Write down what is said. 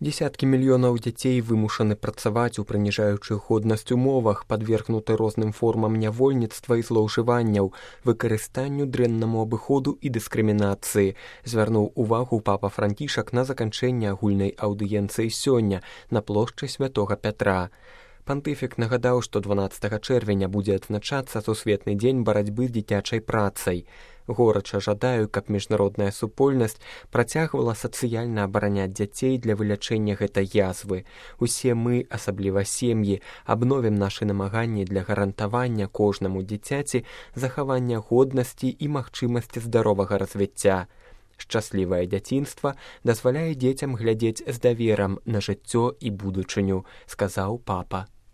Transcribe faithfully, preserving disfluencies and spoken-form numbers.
Десяткі мільёнаў дзяцей вымушаны працаваць у прыніжаючых годнасць умовах, падвергнуты розным формам нявольніцтва і злоўжыванняў, выкарыстанню, дрэннаму абыходу і дыскрымінацыі, звярнуў увагу папа Францішак на заканчэнне агульнай аўдыенцыі сёння на плошчы Святога Пятра. Пантыфік нагадаў, што дванаццатага чэрвеня будзе адзначацца сусветны дзень барацьбы з дзіцячай працай. Горача жадаю, каб міжнародная супольнасць працягвала сацыяльна абараняць дзяцей для вылячэння гэтай язвы. Усе мы, асабліва сем'і, абновім нашы намаганні для гарантавання кожнаму дзіцяці захавання годнасці і магчымасці здаровага развіцця. Шчаслівае дзяцінства дазваляе дзецям глядзець з даверам на жыццё і будучыню, сказаў папа.